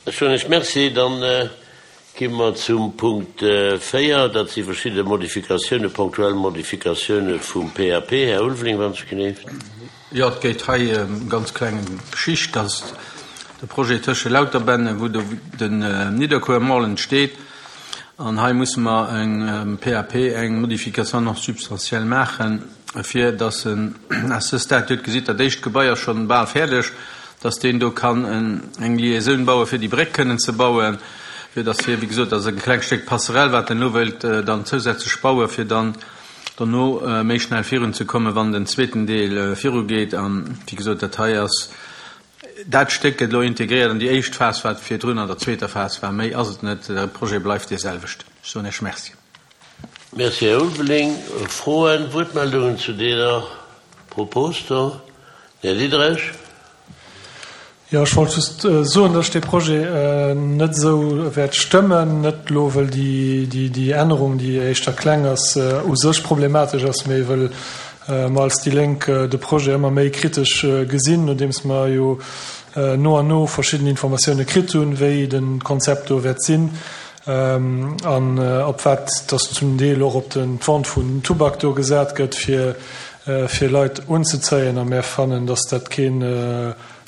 Ech soen Iech Merci. Dann gi mer zum Punkt 4. Dat si verschidde Modifikatiounen, ponktuell Modifikatioune vum PAP. Här Ulveling, wann ech geneeft. Jo, et geet hei ëm ganz kleng Geschicht. Dat ass de Projet tësche Lauterbännen, wou do den Nidderkuer Mall entsteet. An hei musse mer eng PAP, eng Modification non substantielle maachen, fir dass en à ce stade, Dir hutt gesitt, dat éischt Gebai ass schonn bal fäerdeg, dass deen do kann eng Liaisoun bauen, fir déi Bréck kënnen ze bauen, fir dass hie, wéi gesot, dat ass e klengt Stéck Passerelle, wat en elo wéilt dann zousätzlech bauen, fir dann dono méi schnell virunzekommen, wann den zweeten Deel virugeet. An, wéi gesot, dat hei ass Dat Stéck gëtt elo integréiert an déi éischt Phas, wat virdrun an der zweeter Phas war. Méi ass et net. De Projet bleift dee selwechten. Ech soen Iech Merci. Merci, Här Ulveling. Froen, Wuertmeldungen zu deeër Propos do? Här Diderich. Jo, ech wollt just soen, dass ech dee Projet net esou wäert stëmmen. Net elo, wëll déi Ännerung, déi éischter kleng ass, u sech problematesch ass, mee wëll mer als déi Lénk de Projet ëmmer méi kritesch gesinn, nodeems mer jo no an no verschidden Informatioune kritt hunn, wéi de Konzept do wäert sinn an op wat dass zum Deel och op den d'Vente vun Tubak do gesat gëtt, fir fir Leit unzezéien. A mär fannen, dass dat keen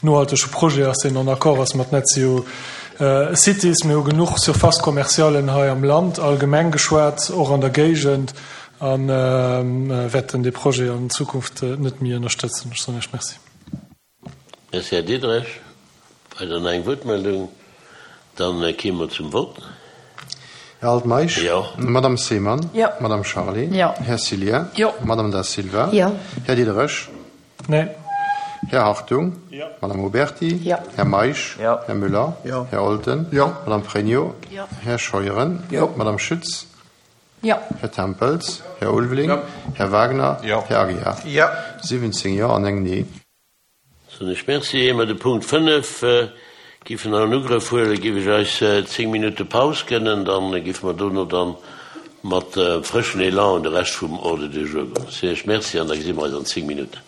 nohaltege Projet ass, deen en accord ass mat Net Zero Cities. Mir hu genuch Surfaces commercialen hei am Land, allgemeng geschwat, och an der Géigend. A wäerten dee Projet an Zukunft net méi ënnerstëtzen. Ech soen Iech Merci. Merci, Här Diderich. Weider nach eng Wuertmeldung? Dann kéime mer zum Vott. Här Altmeisch? Jo. Madame Seemann? Jo. Madame Charlé? Jo. Här Cillien? Jo. Madame Da Silva? Jo. Här Diderich? Nee. Här Hartung? Jo. Madame Oberti? Jo. Här Meisch? Jo. Här Müller? Jo. Här Olten? Jo. Madame Frénio? Jo. Här Scheuren? Jo. Madame Schütz? Jo. Här Tempels? Här Ulveling? Jo. Här Wagner? Jo. Här Aguiar? Jo. 17 Jo an eng Nee. Soen ech Merci. Ier mer de Punkt 5 giffen an Ugrëff huelen, giff ech eis 10 Minutte Paus gënnen. Dann giffe mer dono dann mat frëschen Elan un de Rescht vum Ordre du jour goen. Soen ech Merci an da gesi mer eis an 10 Minutten.